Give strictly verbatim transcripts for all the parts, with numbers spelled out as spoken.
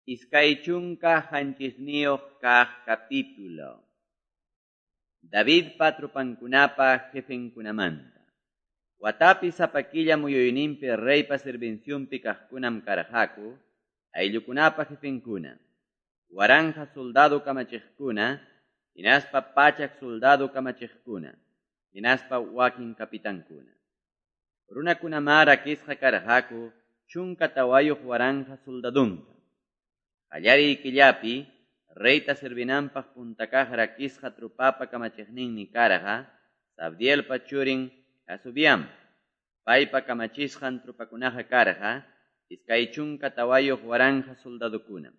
Iskay chunka qanchisniyuq kaq capítulo. Davidpa tropankunapa jefenkunamanta. Watapi sapa killa muyuyninpi reypa servicionpi kaqkunam karqaku, ayllukunapa jefenkuna, waranqa soldado kamachiqkuna, hinaspa pachak soldado kamachiqkuna, hinaspa wakin kapitankuna. Runakunamá rakisqa karqaku chunka tawayuq waranqa soldadunta. Qallariy killapi reyta servinanpaq punta kaq rakisqa trupapa kamachiqninmi karqa Zabdielpa churin Jasobeam. Paypa kamachisqan trupakunaqa karqa iskay chunka tawayuq waranqa soldadukunam.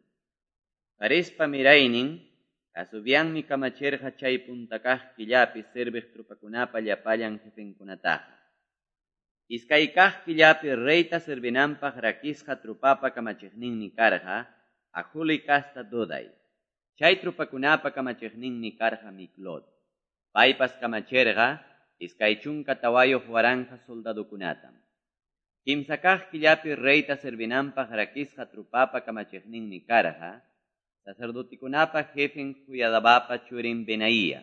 Farespa miraynin Jasobeammi kamachirqa chay punta kaq killapi serviq trupakunapa llapallan jefenkunataqa. Iskay kaq killapi reyta servinanpaq rakisqa trupapa kamachiqninmi karqa Ajuli kasta Doday. Chay trupakunapa kamachiqninmi karqa Miklot. Paypas kamachirqa iskay chunka tawayuq waranqa soldadukunatam. Kimsa kaq killapi reyta servinanpaq rakisqa trupapa kamachiqninmi karqa sacerdotikunapa jefen Joiadabapa churin Benaía.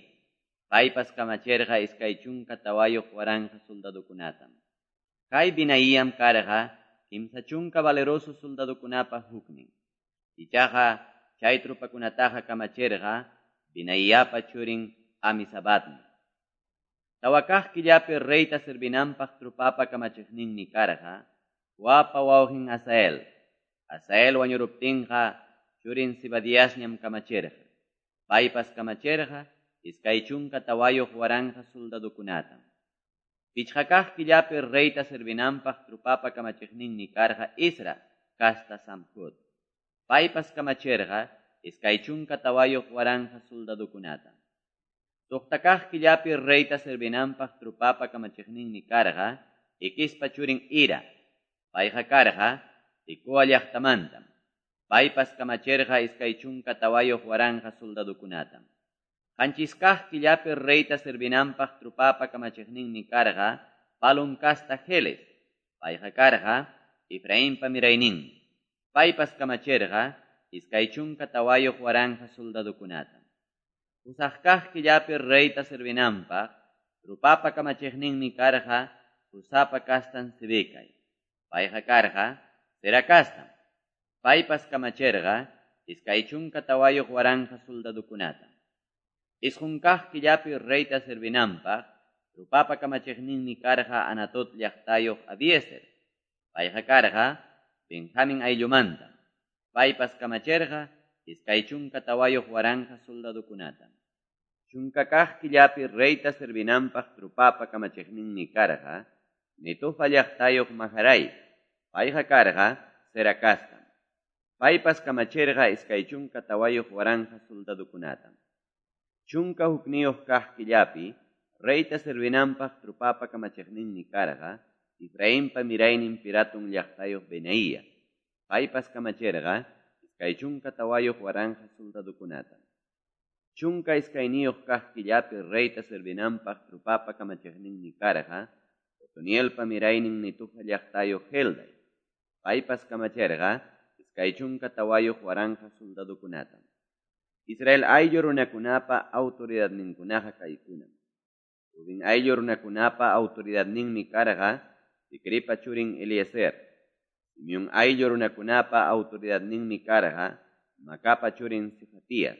Paypas kamachirqa iskay chunka tawayuq waranqa soldadukunatam. Kay Benaíam karqa kimsa chunka valeroso soldadukunapa huknin. Ichaqa chay trupakunataqa kamachirqa Benaíapa churin Amisabatmi. Tawa kaq killapi reyta servinanpaq trupapa kamachiqninmi karqa Joabpa wawqin Asael. Asael wañuruptinqa churin Zebadiasñam kamachirqa. Paypas kamachirqa iskay chunka tawayuq waranqa soldadukunatam. Pichqa kaq killapi reyta servinanpaq trupapa kamachiqninmi karqa Izra kasta Samhut. Paypas kamachirqa iskay chunka tawayuq waranqa soldadukunata. Suqta kaq killapi reyta servinanpaq trupapa kamachiqninmi karqa Iquispa churin Ira. Payqa karqa Tecoa llaqtamantam. Paypas kamachirqa iskay chunka tawayuq waranqa soldadukunatam. Qanchis kaq killapi reyta servinanpaq trupapa kamachiqninmi karqa Palun kasta Heles. Payqa karqa Efrainpa mirayninmi. Paypas kamachirqa iskay chunka tawayuq waranqa soldadukunata. Pusaq kaq killapi reyta servinanpaq trupapa kamachiqninmi karqa Husapa kastan Sibecai. Payqa karqa Zera kastam. Paypas kamachirqa iskay chunka tawayuq waranqa soldadukunata. Isqun kaq killapi reyta servinanpaq trupapa kamachiqninmi karqa Anatot llaqtayuq Abiezer. Payqa karqa Benjamin ayllumanta. Paypas kamachirqa iskay chunka tawayuq waranqa soldadukunata. Chunka kaq killapi reyta servinanpaq trupapa kamachiqninmi karqa Netofa llaqtayuq Maharai. Payqa karqa Zera kastam. Paypas kamachirqa iskay chunka tawayuq waranqa soldadukunata. Chunka hukniyuq kaq killapi reyta servinanpaq trupapa kamachiqninmi karqa Efrainpa miraynin Piratun llaqtayuq Benaía. Paypas kamachirqa iskay chunka tawayuq waranqa soldadukunata. Chunka iskayniyuq kaq killapi reyta servinanpaq trupapa kamachiqninmi karqa Otonielpa miraynin Netofa llaqtayuq Helday. Paypas kamachirqa iskay chunka tawayuq waranqa soldadukunata. Israel ayllu runakunapa autoridadninkunaqa kaykunam. Rubén ayllu runakunapa autoridadninmi karqa Zicripa churin Eliezer. Simeón ayllu runakunapa autoridadninmi karqa Macapa churin Cefatías.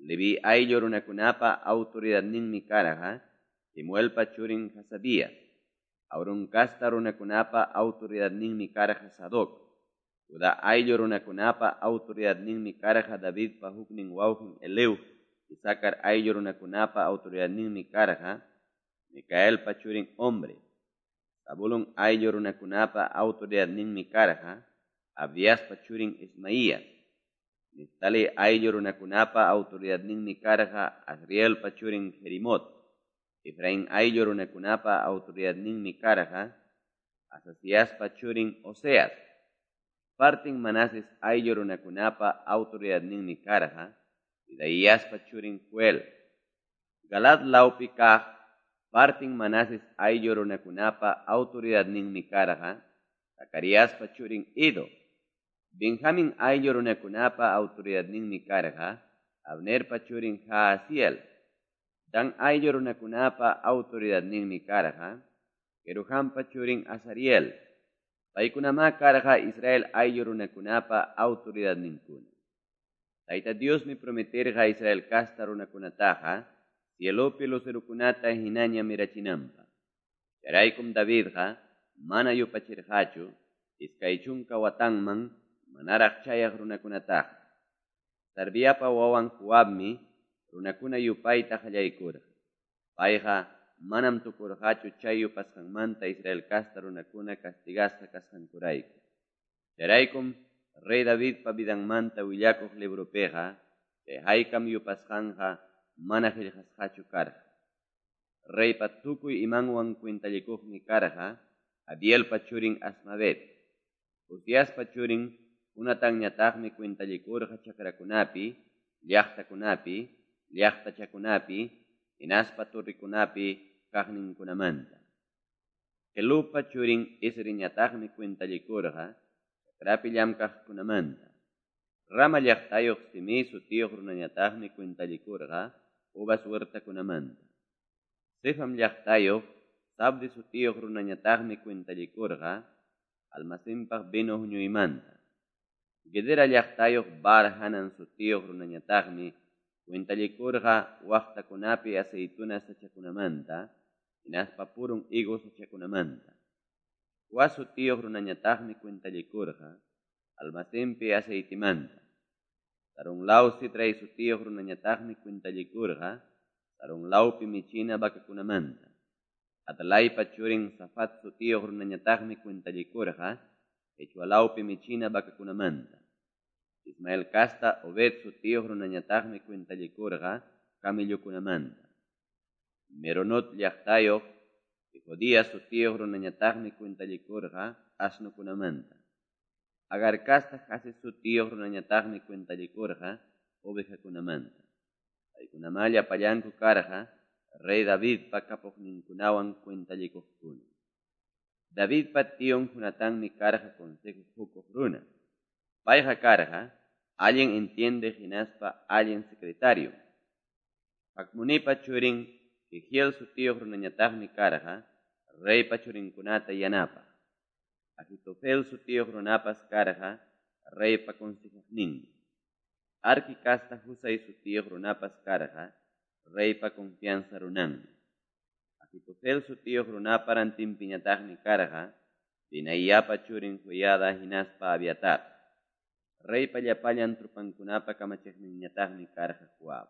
Leví ayllu runakunapa autoridadninmi karqa Kemuelpa churin Hasabías. Aarón kasta runakunapa autoridadninmi karqa Sadoc. Judá ayllu runakunapa autoridadninmi karqa Davidpa huknin wawqin Eleu. Isacar ayllu runakunapa autoridadninmi karqa Micaelpa churin Omri. Zabulón ayllu runakunapa autoridadninmi karqa Abdiaspa churin Ismaías. Neftali ayllu runakunapa autoridadninmi karqa Azrielpa churin Jerimot. Efraín ayllu runakunapa autoridadninmi karqa Azaziaspa churin Oseas. Partin Manases ayllu runakunapa autoridadninmi karqa Pedaiaspa churin Joel. Galad lawpi kaq partin Manases ayllu runakunapa autoridadninmi karqa Zacariaspa churin Ido. Benjamin ayllu runakunapa autoridadninmi karqa Abnerpa churin Jaasiel. Dan ayllu runakunapa autoridadninmi karqa Jerohampa churin Azariel. Paykunamá karqa Israel ayllu runakunapa autoridadninkuna. Tayta Diosmi prometerqa Israel casta runakunataqa cielopi lucerokunata hinaña mirachinanpaq. Chayraykum Davidqa mana yupachirqachu iskay chunka watanman manaraq chayaq runakunataqa. Sarviapa wawan Joabmi runakuna yupayta qallaykurqa. Payqa manam tukurqachu chay yupasqanmanta Israel casta runakuna castigasqa kasqankurayku. Chayraykum rey Davidpa vidanmanta willakuq libropiqa chay haykam yupasqanqa mana qillqasqachu karqa. Reypa tukuy imanwan cuentallikuqmi karqa Abielpa churin Asmavet. Uziaspa churin Jonatanñataqmi cuentallikurqa chakrakunapi, llaqtakunapi, llaqtachakunapi, hinaspa torrikunapi kaqninkunamanta. Kelupa churin Esriñataqmi cuentallikurqa chakrapi llamkaqkunamanta. Rama llaqtayuq Simei sutiyuq runañataqmi cuentallikurqa uvas huertakunamanta. Sefam llaqtayuq Sabdi sutiyuq runañataqmi cuentallikurqa almacenpaq vino huñuymanta. Gedera llaqtayuq Bar Hanan sutiyuq runañataqmi cuentallikurqa waqtakunapi aceituna sachakunamanta, hinaspa purun higo sachakunamanta. Joas sutiyuq runañataqmi cuentallikurqa almacenpi aceitimanta. Sarunlaw Sitray sutiyuq runañataqmi cuentallikurqa Sarunlawpi michina vacakunamanta. Atalaypa churin Safat sutiyuq runañataqmi cuentallikurqa Echualawpi michina vacakunamanta. Ismael casta Obed sutiyuq runañataqmi cuentallikurqa camellokunamanta. Meronot llaqtayuq Jodías sutiyuq runañataqmi cuentallikurqa asnukunamanta. Agar casta Jase sutiyuq runañataqmi cuentallikurqa ovejakunamanta. Paykunamá llapallanku karqa rey Davidpa kapuqninkunawan cuentallikuqkuna. Davidpa tion Jonatanmi karqa consejo hukuq runa. Payqa karqa allin entiende hinaspa allin secretario. Hakmunipa churin Jehiel sutiyuq runañataqmi karqa reypa churinkunata yanapaq. Ahitofel sutiyuq runapas karqa reypa consejaqninmi. Arki casta Husai sutiyuq runapas karqa reypa confianza runanmi. Ahitofel sutiyuq runapa rantinpiñataqmi karqa Benaíapa churin Joiada hinaspa Abiatar. Reypa llapallan tropankunapa kamachiqninñataqmi karqa Joab.